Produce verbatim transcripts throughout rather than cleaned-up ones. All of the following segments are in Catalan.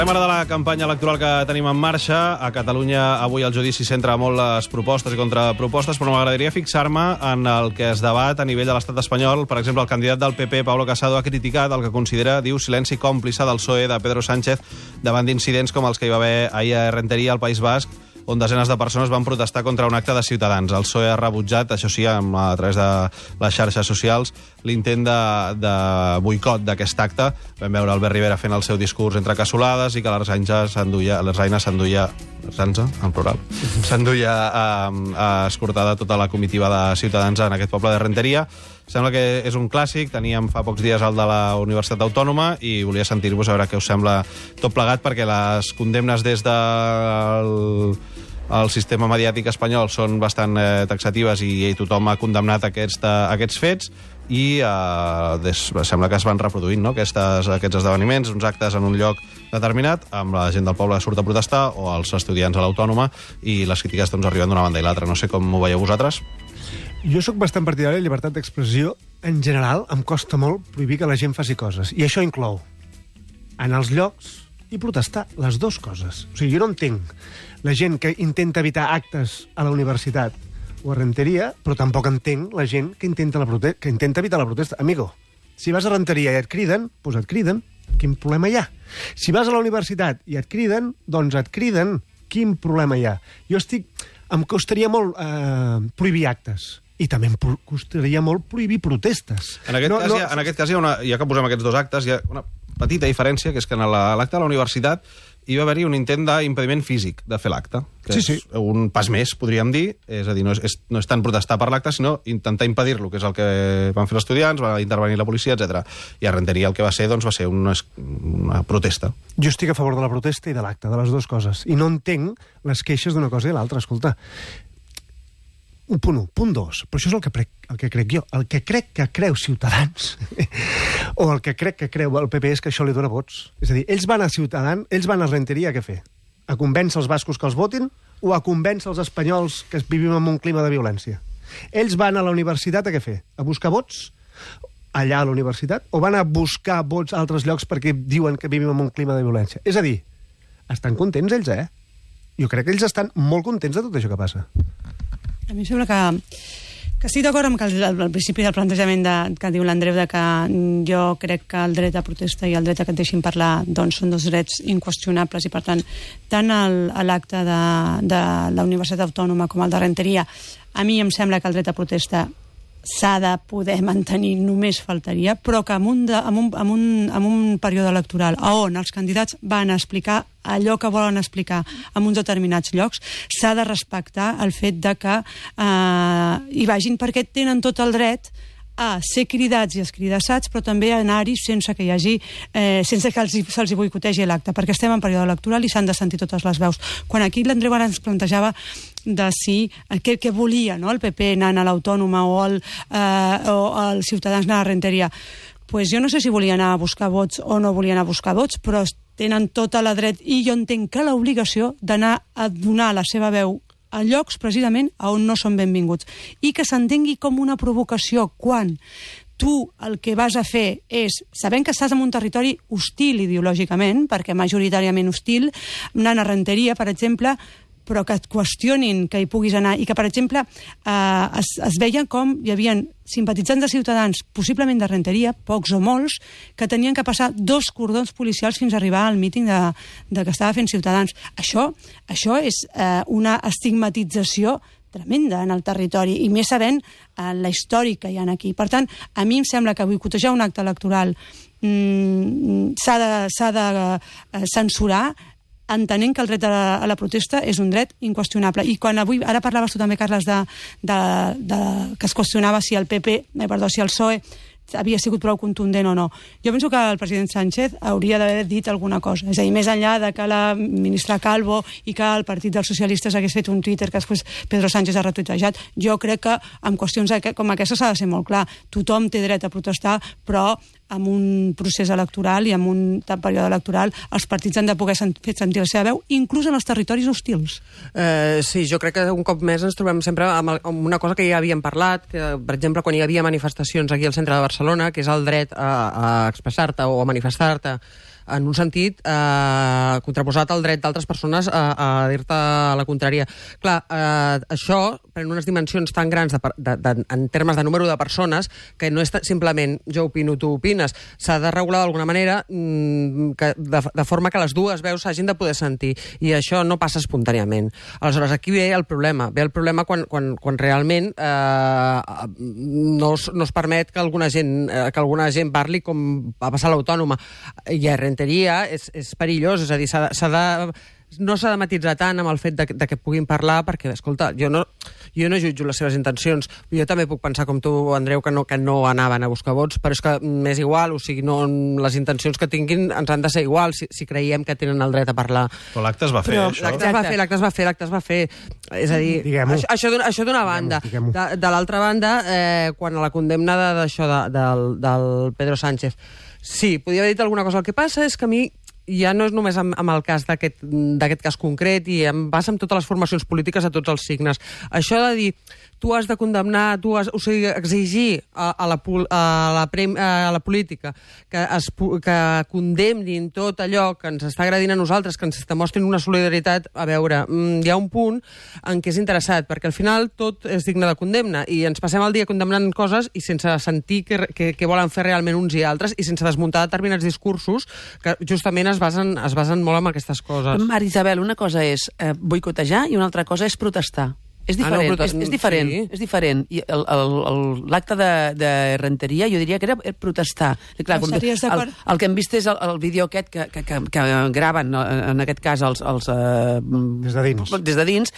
Parlem ara de la campanya electoral que tenim en marxa. A Catalunya avui el judici centra molt les propostes i contrapropostes, però m'agradaria fixar-me en el que es debat a nivell de l'estat espanyol. Per exemple, el candidat del P P, Pablo Casado, ha criticat el que considera, diu, silenci còmplice del P S O E de Pedro Sánchez davant d'incidents com els que hi va haver ahir a Renteria, al País Basc, on desenes de persones van protestar contra un acte de Ciutadans. El P S O E ha rebutjat, això sí, a través de les xarxes socials, l'intent de, de boicot d'aquest acte. Vam veure Albert Rivera fent el seu discurs entre cassolades i que l'Arzaina s'enduia, l'Arzaina s'enduia, l'Arzaina, en plural, s'enduia eh, escortada tota la comitiva de Ciutadans en aquest poble de Renteria. Sembla que és un clàssic, teníem fa pocs dies el de la Universitat Autònoma i volia sentir-vos a veure què us sembla tot plegat, perquè les condemnes des del el sistema mediàtic espanyol són bastant eh, taxatives i, i tothom ha condemnat aquests, aquests fets i eh, des, sembla que es van reproduint, no? Aquestes, aquests esdeveniments, uns actes en un lloc determinat, amb la gent del poble que surt a protestar o els estudiants a l'Autònoma, i les crítiques doncs, arriben d'una banda i l'altra. No sé com ho veieu vosaltres. Jo sóc bastant partidari de llibertat d'expressió. En general, em costa molt prohibir que la gent faci coses. I això inclou anar als llocs i protestar, les dues coses. O sigui, jo no entenc la gent que intenta evitar actes a la universitat o a Renteria, però tampoc entenc la gent que intenta, la prote que intenta evitar la protesta. Amigo, si vas a Renteria i et criden, doncs et criden. Quin problema hi ha? Si vas a la universitat i et criden, doncs et criden. Quin problema hi ha? Jo estic... Em costaria molt eh, prohibir actes. I també em costaria molt prohibir protestes. En aquest, no, cas, no... Hi ha, en aquest cas, hi ha una, ja que posem aquests dos actes, hi ha una petita diferència, que és que en l'acte de la universitat hi va haver-hi un intent d'impediment físic de fer l'acte, que sí, és sí. un pas més, podríem dir. És a dir, no és, no és tant protestar per l'acte, sinó intentar impedir-lo, que és el que van fer els estudiants, va intervenir la policia, etcètera. I a Renteria el que va ser, doncs, va ser una, una protesta. Jo estic a favor de la protesta i de l'acte, de les dues coses. I no entenc les queixes d'una cosa i l'altra. Escolta, un punt un. Punt dos. Però això és el que, prec, el que crec jo. El que crec que creu Ciutadans o el que crec que creu el P P és que això li dona vots. És a dir, ells van a Ciutadans, ells van a Renteria a què fer? A convèncer els bascos que els votin o a convèncer els espanyols que vivim en un clima de violència? Ells van a la universitat a què fer? A buscar vots allà a la universitat? O van a buscar vots a altres llocs perquè diuen que vivim en un clima de violència? És a dir, estan contents ells, eh? Jo crec que ells estan molt contents de tot això que passa. A mi em sembla que, que estic d'acord amb que el, el principi del plantejament de, que diu l'Andreu, de que jo crec que el dret a protesta i el dret a que et deixin parlar doncs, són dos drets inqüestionables, i per tant tant l'acte de, de la Universitat Autònoma com el de Renteria, a mi em sembla que el dret a protesta s'ha de poder mantenir, només faltaria, però que en un, de, en un, en un, en un període electoral on els candidats van a explicar allò que volen explicar en uns determinats llocs, s'ha de respectar el fet de que eh, hi vagin, perquè tenen tot el dret a ser cridats i escridassats, però també a anar-hi sense que hi hagi, eh, sense que se'ls boicotegi l'acte, perquè estem en període electoral i s'han de sentir totes les veus. Quan aquí l'Andreu ara ens plantejava de si, eh, què, què volia, no?, el P P anant a l'Autònoma o el, eh, o el Ciutadans anant a Renteria, pues jo no sé si volia anar a buscar vots o no volia anar a buscar vots, però tenen tota la dret, i jo entenc que l'obligació d'anar a donar la seva veu a llocs precisament on no són benvinguts, i que s'entengui com una provocació quan tu el que vas a fer és, sabent que estàs en un territori hostil ideològicament, perquè majoritàriament hostil, anant a Renteria, per exemple, però que et qüestionin que hi puguis anar, i que, per exemple, eh, es, es veien com hi havia simpatitzants de Ciutadans, possiblement de Renteria, pocs o molts, que tenien que passar dos cordons policials fins a arribar al míting de, de que estava fent Ciutadans. Això, això és eh, una estigmatització tremenda en el territori, i més sabent eh, la història que hi ha aquí. Per tant, a mi em sembla que boicotejar un acte electoral mm, s'ha de, s'ha de eh, censurar, entenent que el dret a la, a la protesta és un dret inqüestionable. I quan avui, ara parlaves tu també, Carles, de, de, de, que es qüestionava si el P P, eh, perdó, si el P S O E havia sigut prou contundent o no. Jo penso que el president Sánchez hauria d'haver dit alguna cosa. És a dir, més enllà de que la ministra Calvo i que el Partit dels Socialistes hagués fet un Twitter que després Pedro Sánchez ha retuitejat, jo crec que en qüestions com aquestes s'ha de ser molt clar. Tothom té dret a protestar, però amb un procés electoral i amb un període electoral els partits han de poder fer sentir la seva veu, inclús en els territoris hostils. Eh, sí, jo crec que un cop més ens trobem sempre amb, el, amb una cosa que ja havíem parlat, que, per exemple, quan hi havia manifestacions aquí al centre de Barcelona, que és el dret a, a expressar-te o a manifestar-te en un sentit eh, contraposat al dret d'altres persones a, a dir-te la contrària. Clar, eh, això pren unes dimensions tan grans de, de, de, en termes de número de persones que no és simplement jo opino, tu opines. S'ha de regular d'alguna manera mmm, que, de, de forma que les dues veus s'hagin de poder sentir, i això no passa espontàniament. Aleshores, aquí ve el problema. Ve el problema quan, quan, quan realment eh, no, es, no es permet que alguna gent, eh, que alguna gent parli com va passar a l'Autònoma. I a Renteria és, és perillós, és a dir, s'ha de... no s'ha de matitzar tant amb el fet de, de que puguin parlar, perquè, escolta, jo no, jo no jutjo les seves intencions. Jo també puc pensar, com tu, Andreu, que no, que no anaven a buscar vots, però és que m'és igual, o sigui, no, les intencions que tinguin ens han de ser igual si, si creiem que tenen el dret a parlar. Però l'acte es va fer, però, això? L'acte es va fer, l'acte es va fer, l'acte es va fer. És a dir, això, això, això d'una banda. De, de l'altra banda, eh, quan a la condemna d'això de, de, del, del Pedro Sánchez, sí, podia haver dit alguna cosa. El que passa és que a mi ja no és només amb, amb el cas d'aquest cas concret, i em passa amb totes les formacions polítiques a tots els signes. Això de dir, tu has de condemnar, tu has, o sigui, exigir a, a, la, a, la, a la política que, es, que condemnin tot allò que ens està agredint a nosaltres, que ens demostrin una solidaritat, a veure, hi ha un punt en què és interessat, perquè al final tot és digne de condemna, i ens passem el dia condemnant coses i sense sentir què que, que volen fer realment uns i altres, i sense desmuntar determinats discursos que justament es basen, es basen molt en aquestes coses. Mari Isabel, una cosa és eh, boicotejar i una altra cosa és protestar. És diferent, ah, no, és, és diferent, sí. és diferent. I l'acte de, de Renteria jo diria que era protestar. Clar, com, el, el que hem vist és el, el vídeo aquest que, que, que, que graven, en aquest cas, els... els uh, des de dins. Des de dins,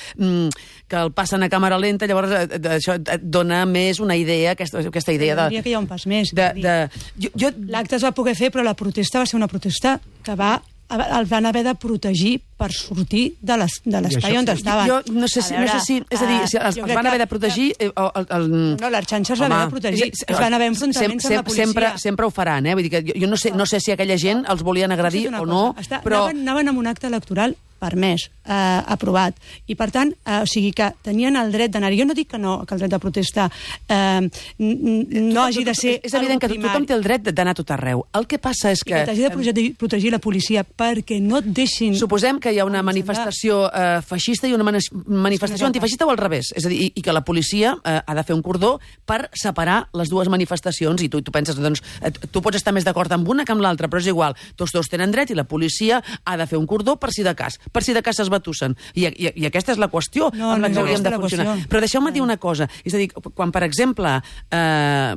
que el passen a càmera lenta, llavors això et dona més una idea, aquesta, aquesta idea de... Diria que hi ha un pas més. De, de, jo, jo... L'acte es va poder fer, però la protesta va ser una protesta que va... el van haver de protegir per sortir de l'espai on estaven. Jo no sé si... No sé si és a dir, si els, els van haver de protegir... Que, el, el, el, no, l'Arxanxa es va haver de protegir. Es, es van haver enfrontaments sem, sem, amb la policia. Sempre, sempre ho faran, eh? Vull dir que jo, jo no, sé, no sé si aquella gent els volien agredir o no, Està, però... Anaven, anaven amb un acte electoral permès, eh, aprovat. I, per tant, eh, o sigui que tenien el dret d'anar. Jo no dic que no, que el dret de protesta eh, no hagi de ser... És evident que tothom té el dret d'anar a tot arreu. El que passa és que... I que t'hagi de protegir, protegir la policia perquè no et deixin... Suposem que hi ha una manifestació eh, feixista i una manifestació antifeixista o al revés. És a dir, i, i que la policia eh, ha de fer un cordó per separar les dues manifestacions, i tu, tu penses, doncs, eh, tu pots estar més d'acord amb una que amb l'altra, però és igual. Tots dos tenen dret i la policia ha de fer un cordó per si de cas. Per si de cas es batussen. I, i, i aquesta és la qüestió no, amb la que no, hauríem no, de funcionar. Qüestió. Però deixeu-me dir una cosa. És a dir, quan, per exemple, eh,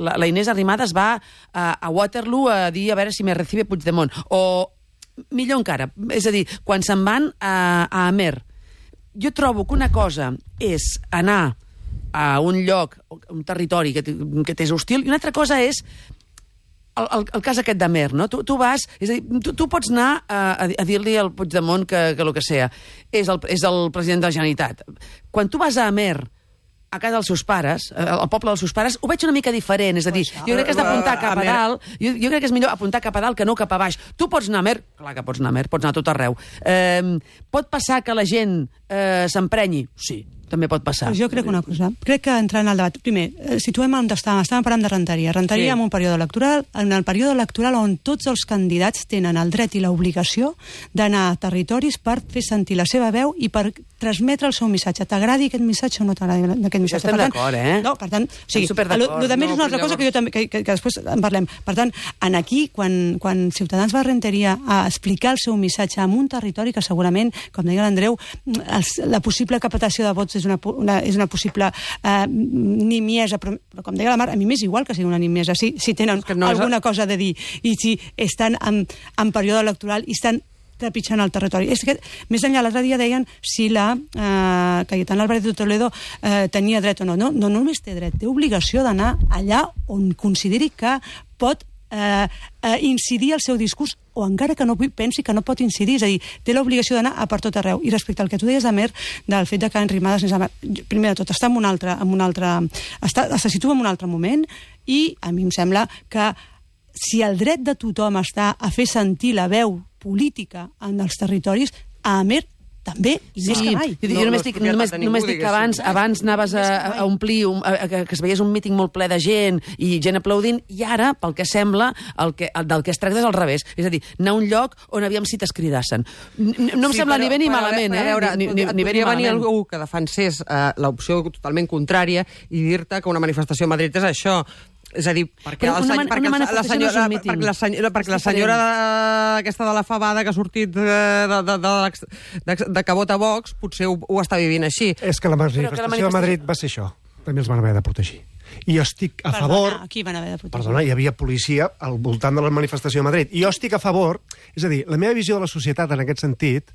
la, la Inés Arrimadas va a, a Waterloo a dir a veure si me recibe Puigdemont, o millor encara, és a dir, quan se'n van a, a Amer, jo trobo que una cosa és anar a un lloc, un territori que, que t'és hostil, i una altra cosa és El, el, el cas aquest d'Amer, no? Tu, tu vas... És a dir, tu, tu pots anar a, a dir-li al Puigdemont que, que el que sea. És el, és el president de la Generalitat. Quan tu vas a Amer, a casa dels seus pares, al poble dels seus pares, ho veig una mica diferent. És a dir, jo crec que has d'apuntar cap a dalt, jo, jo crec que és millor apuntar cap a dalt que no cap a baix. Tu pots anar a Amer, clar que pots anar a Amer, pots anar a tot arreu. Eh, pot passar que la gent eh, s'emprenyi? Sí, també pot passar. Pues jo crec una cosa. Crec que entrant al debat... Primer, situem on estàvem. Estàvem parlant de Renteria. Renteria sí. En un període electoral, en el període electoral on tots els candidats tenen el dret i l'obligació d'anar a territoris per fer sentir la seva veu i per transmetre el seu missatge. T'agradi aquest missatge o no t'agradi aquest missatge? Ja estem d'acord, eh? No, per tant... O sigui, el, el de més no, és una altra cosa que, jo també, que, que, que després en parlem. Per tant, en aquí, quan, quan Ciutadans va a Renteria a explicar el seu missatge en un territori que segurament, com deia l'Andreu, la possible captació de vots és una, una, és una possible eh, nimiesa, però, però com deia la Mar, a mi m'és igual que sigui una nimiesa, si, si tenen no alguna és... cosa de dir i si estan en, en període electoral i estan trepitjant el territori. És que, més enllà, l'altre dia deien si la eh, Cayetana Álvarez de Toledo eh, tenia dret o no. No, no només té dret, té obligació d'anar allà on consideri que pot eh, eh, incidir el seu discurs, o encara que no pensi que no pot incidir, és a dir, té l'obligació d'anar a per tot arreu. I respecte al que tu deies, Amer, del fet de que Arrimadas, primer de tot, està en un altre, en un altre, està, se situa en un altre moment, i a mi em sembla que si el dret de tothom està a fer sentir la veu política en els territoris, a Amer també, i més que mai. Jo, No, jo només no dic, és només, propietat de ningú, només dic que diguéssim. abans, abans anaves a, a omplir, un, a, a, que es veiés un míting molt ple de gent i gent aplaudint, i ara, pel que sembla, el que, el, del que es tracta és al revés. És a dir, anar a un lloc on aviam si t'escridassin. No em Sí, sembla però- ni bé ni però, malament, però, eh? a veure, Ni, ni, et ni bé ni podria venir malament. algú que defensés eh, l'opció totalment contrària i dir-te que una manifestació a Madrid és això. És a dir, perquè, Però el, una seny- man- perquè una el- la manifestació no és senyora, un míting. perquè la senyora, perquè la És senyora diferent. de, aquesta de la fabada que ha sortit de, de, de, de, l'ex- de, de que vota Vox potser ho, ho està vivint així. És que la manifestació, la de manifestació- Madrid va ser això. També els van haver de protegir. I jo estic a Perdona, favor... aquí van haver de protegir. Perdona, hi havia policia al voltant de la manifestació a Madrid. I jo estic a favor... És a dir, la meva visió de la societat en aquest sentit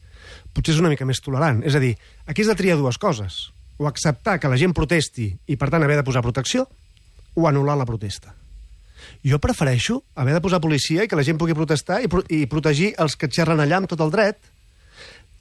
potser és una mica més tolerant. És a dir, aquí has de triar dues coses. O acceptar que la gent protesti i, per tant, haver de posar protecció, o anul·lar la protesta. Jo prefereixo haver de posar policia i que la gent pugui protestar i, pro i protegir els que xerren allà amb tot el dret.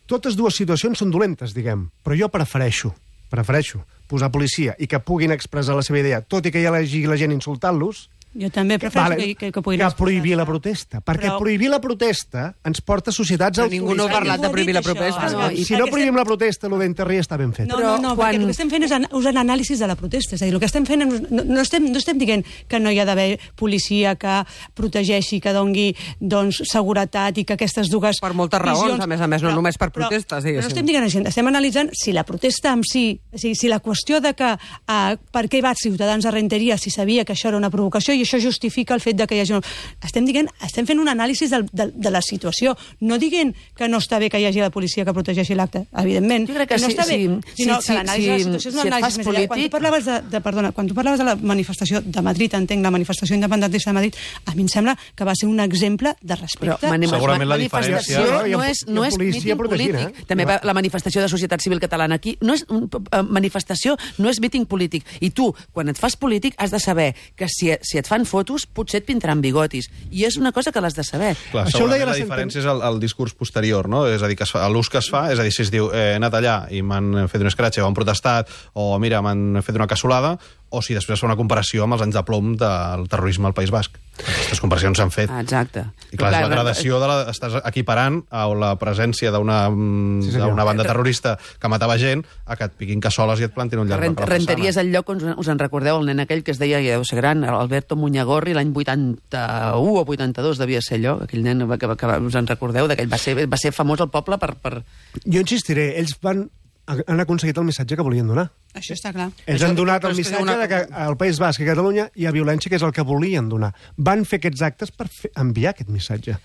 Totes dues situacions són dolentes, diguem, però jo prefereixo, prefereixo posar policia i que puguin expressar la seva idea, tot i que hi hagi la gent insultant-los, Jo també prefereixo vale, que, que, que puguin que expressar-se. prohibir la protesta. Perquè Però- prohibir la protesta ens porta a societats Però ningú no ha autoritàries. parlat de prohibir la Ningú ha dit protesta. això. No, I Si no perquè prohibim estem- la protesta, el d'Interri està ben fet. No, Però no, no, quan- perquè el que estem fent és an usar anàlisis de la protesta. És a dir, el que estem fent és, no, no, estem, no estem dient que no hi ha d'haver policia que protegeixi, que doni doncs, seguretat i que aquestes dues Per moltes raons, visions- a més a més, no només per protestes, Però, diguéssim. però no estem dient això, estem analitzant si la protesta en si, o sigui, si la qüestió de que uh, per què va Ciutadans a Renteria si sabia que això era una provocació i això justifica el fet de que hi hagi... Un... Estem dient, estem fent un anàlisi del, de, de la situació, no dient que no està bé que hi hagi la policia que protegeixi l'acte, evidentment. Jo crec que no sí, està bé, sí, sinó sí, que l'anàlisi de la sí, situació és si un et anàlisi fas més enllà. Quan tu polític- parlaves de, de, perdona, quan tu parlaves de la manifestació de Madrid, entenc, la manifestació independentista de Madrid, a mi em sembla que va ser un exemple de respecte. Però mani- Segurament la manifestació diferència- Hi ha- no és, hi ha no és policia míting protegint, polític. eh? També va la manifestació de Societat Civil Catalana aquí. No és un, uh, manifestació no és míting polític. I tu, quan et fas polític, has de saber que si, si et fan fotos, potser et pintaran bigotis. I és una cosa que l'has de saber. Clar, Això ho deia segurament la la senten- diferència és el, el discurs posterior, no? És a dir, que es fa, l'ús que es fa, és a dir, si es diu eh, he anat allà i m'han fet un escratx o han protestat o mira, m'han fet una cassolada, o si després es fa una comparació amb els anys de plom del terrorisme al País Basc. Aquestes comparacions s'han fet. Ah, exacte. I clar, és la gradació de la, estàs equiparant a la presència d'una Sí, senyor. d'una banda terrorista que matava gent a que et piquin cassoles i et plantin un llarg Rent, per la Renteria és façana. el lloc on us en recordeu, el nen aquell que es deia, ja deu ser gran, Alberto Muñagorri, l'any vuitanta-u o vuitanta-dos devia ser allò, aquell nen que, que, que us en recordeu, d'aquell va ser, va ser famós al poble per... per... Jo insistiré, ells van, han aconseguit el missatge que volien donar. Això està clar. Ells Això- han donat però el és que missatge una- de que al País Basc i a Catalunya hi ha violència, que és el que volien donar. Van fer aquests actes per fer, enviar aquest missatge.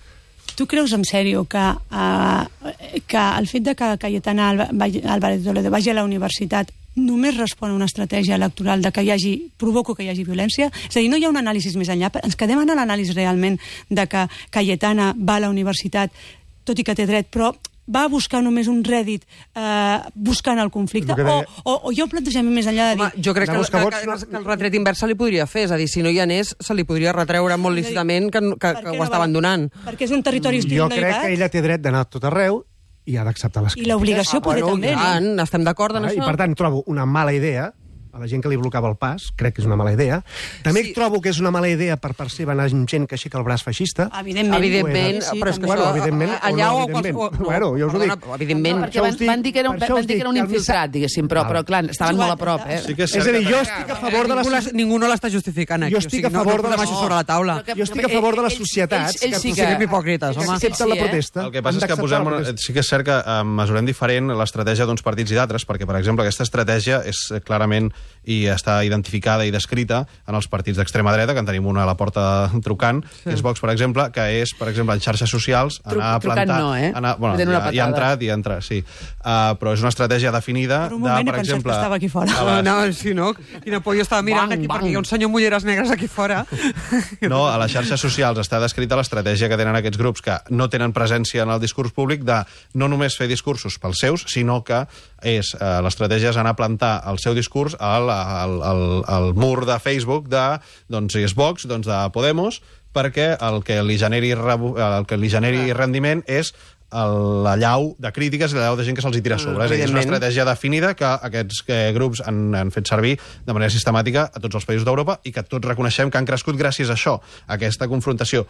Tu creus en sèrio que, uh, que el fet de que Cayetana Álvarez Toledo vagi a la universitat només respon a una estratègia electoral de que hi hagi, provoco que hi hagi violència? És a dir, no hi ha un anàlisi més enllà? Ens quedem en l'anàlisi realment de que Cayetana va a la universitat, tot i que té dret, però va a buscar només un rèdit eh, buscant el conflicte? El que O, deia- o, o hi ha un plantejament més enllà de dir... Home, jo crec que, Anar a buscar que, vots, que, no- que el retret invers se li podria fer, és a dir, si no hi anés, se li podria retreure molt lícitament que, que, Per que què ho no està va? abandonant. Perquè és un territori hostil Jo no hi crec va. que ella té dret d'anar a tot arreu i ha d'acceptar les I l'obligació Ah, poder bueno, també, no? tant, estem d'acord en Ah, això. I per tant trobo una mala idea a la gent que li blocava el pas, crec que és una mala idea. També Sí. sí. trobo que és una mala idea per part seva anar amb gent que aixeca el braç feixista. Evidentment. Evidentment, Sí, però és que també. Bueno, això, evidentment, allà o no, o evidentment. qualsevol... Bueno, jo us ho dic. Perdona, evidentment. No, perquè van, això us dic- van dir que era, per això van us dir que era un dic que el infiltrat, diguéssim, però, Val. però clar, estaven molt a prop, eh? Sí que és És a cert dir, que- jo estic a favor de la... Ningú, l'es- ningú no l'està justificant aquí. Jo estic o sigui, a favor no, no de la- posem això sobre la taula. Però que- Jo estic a favor de les ells- societats ells- ells sí que que- siguem hipòcrites, que home. accepten Sí, la eh? protesta. El que passa Han és que d'acceptar posem, la protesta. sí que és cert que eh, mesurem diferent l'estratègia d'uns partits i d'altres, perquè, per exemple, aquesta estratègia és eh, clarament i està identificada i descrita en els partits d'extrema dreta, que en tenim una a la porta trucant, sí. que és Vox, per exemple, que és, per exemple, en xarxes socials, Tru- anar a trucant plantar... no, eh? Anar, bueno, Tenen una ja, ja ha patada. entrat, ja ha entrat, sí. Uh, però és una estratègia definida Per un de, moment he per pensat exemple... que estava aquí fora. a No, les- no, sí, no? Quina por, jo estava mirant Bang, aquí bang. perquè hi ha un senyor amb ulleres negres aquí fora. No, a les xarxes socials està descrita l'estratègia que tenen aquests grups que no tenen presència en el discurs públic de no només fer discursos pels seus, sinó que és eh, l'estratègia és anar a plantar el seu discurs al, al, al, al mur de Facebook de, doncs, si és Vox, doncs de Podemos, perquè el que li generi, rebu- el que li generi rendiment és el- la llau de crítiques i la llau de gent que se'ls hi tira a sobre. És a dir, és una evidentment. estratègia definida que aquests eh, grups han, han fet servir de manera sistemàtica a tots els països d'Europa i que tots reconeixem que han crescut gràcies a això, a aquesta confrontació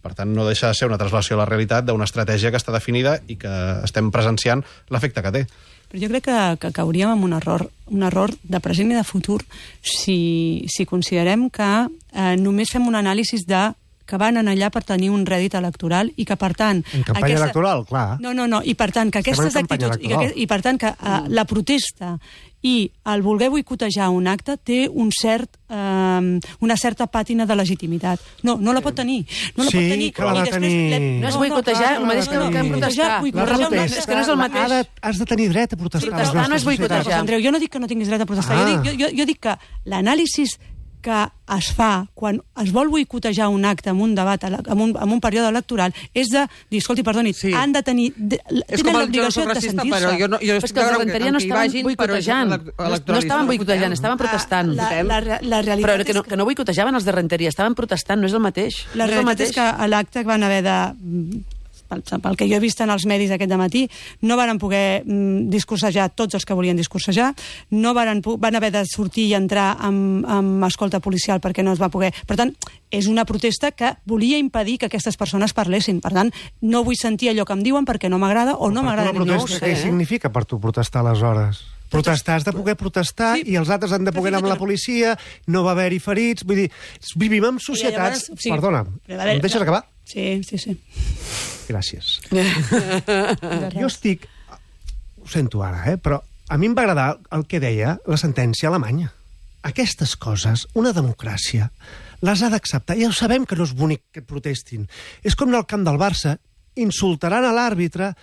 Per tant, no deixa de ser una translació a la realitat d'una estratègia que està definida i que estem presenciant l'efecte que té. Però jo crec que, que cauríem en un error, un error de present i de futur si, si considerem que eh, només fem un anàlisi de que van anar allà per tenir un rèdit electoral i que, per tant... En campanya aquesta... electoral, clar. No, no, no, i per tant, que aquestes actituds... I, que, I per tant, que uh, la protesta i el voler boicotejar un acte té un cert, eh, una certa pàtina de legitimitat. No, no la pot tenir. No la sí, pot tenir. que la va tenir... No és boicotejar, el mateix que no protestar. Boicotejar, és que no és el mateix. Ha de, has de tenir dret a protestar. Protestar no és boicotejar. Andreu, jo no dic que no tinguis dret a protestar. Ah. Jo, dic, jo, jo dic que l'anàlisi que es fa quan es vol boicotejar un acte en un debat, en un, en un període electoral, és de dir, escolti, perdoni, sí. han de tenir... De, tenen l'obligació de sentir-se. Però jo no, jo és que els de Renteria no estaven boicotejant. No estaven boicotejant, estaven protestant. La, la, la, la realitat però que no, que no boicotejaven els de Renteria, estaven protestant, no és el mateix. La no realitat és, és que a l'acte van haver de... pel que jo he vist en els medis aquest dematí, no varen poder mm, discursejar tots els que volien discursejar, no varen, van haver de sortir i entrar amb, amb escolta policial perquè no es va poder... Per tant, és una protesta que volia impedir que aquestes persones parlessin. Per tant, no vull sentir allò que em diuen perquè no m'agrada o no m'agrada. Una protesta, què eh? significa per tu protestar aleshores? Protestar, has de poder protestar sí, i els altres han de poder anar amb la policia, no va haver-hi ferits... Vull dir, vivim en societats... Llavors, sí, perdona, em deixes acabar? Sí, sí, sí. Gràcies. Jo estic... Ho sento ara, eh? Però a mi em va agradar el que deia la sentència alemanya. Aquestes coses, una democràcia, les ha d'acceptar. Ja ho sabem que no és bonic que protestin. És com al camp del Barça, insultaran a l'àrbitre,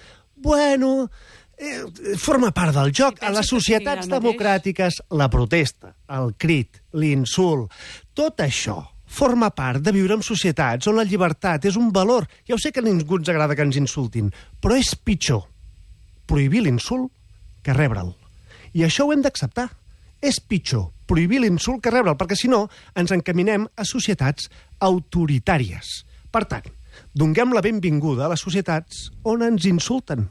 bueno... Eh, forma part del joc. A les societats democràtiques, la protesta, el crit, l'insult, tot això forma part de viure en societats on la llibertat és un valor. Ja ho sé que a ningú ens agrada que ens insultin, però és pitjor prohibir l'insult que rebre'l. I això ho hem d'acceptar. És pitjor prohibir l'insult que rebre'l, perquè si no ens encaminem a societats autoritàries. Per tant, donem la benvinguda a les societats on ens insulten.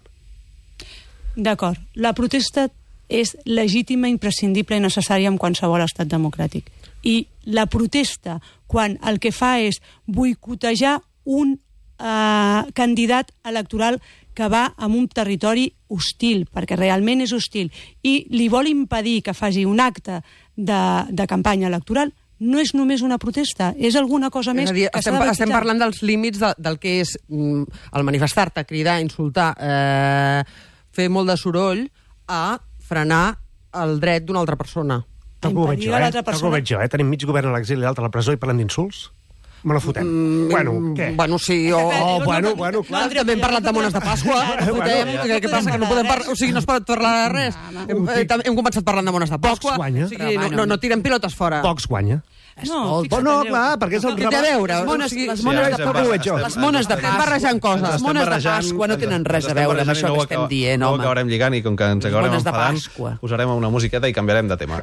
D'acord. La protesta és legítima, imprescindible i necessària en qualsevol estat democràtic. I la protesta, quan el que fa és boicotejar un eh, candidat electoral que va a un territori hostil, perquè realment és hostil, i li vol impedir que faci un acte de, de campanya electoral, no és només una protesta, és alguna cosa més dir, que estem, s'ha de estem parlant dels límits de, del que és mm, el manifestar-te, cridar, insultar... Eh, fer molt de soroll a frenar el dret d'una altra persona. Tal com ho veig jo, eh? Tal com ho veig jo, eh? Tenim mig govern a l'exili i l'altre a la presó i parlant d'insults. Me la fotem. Mm, bueno, què? Bueno, sí, o... Oh, bueno, bueno, clar. No, també hem parlat de mones de Pasqua. Fotem, què, què passa, que no podem parlar... O sigui, no es pot parlar de res. Hem, hem començat parlant de mones de Pasqua. Pocs guanya. O sigui, no, no, no tirem pilotes fora. Pocs guanya. No, oh, no, clar, perquè és el rebat. A veure, les mones, o sigui, les mones sí, de sí, Pasqua, estem, les mones de estem barrejant coses. Les mones de Pasqua no tenen res a veure amb això que estem dient, home. No ho acabarem lligant i com que ens acabarem mones de enfadant, Pasqua. posarem una musiqueta i canviarem de tema.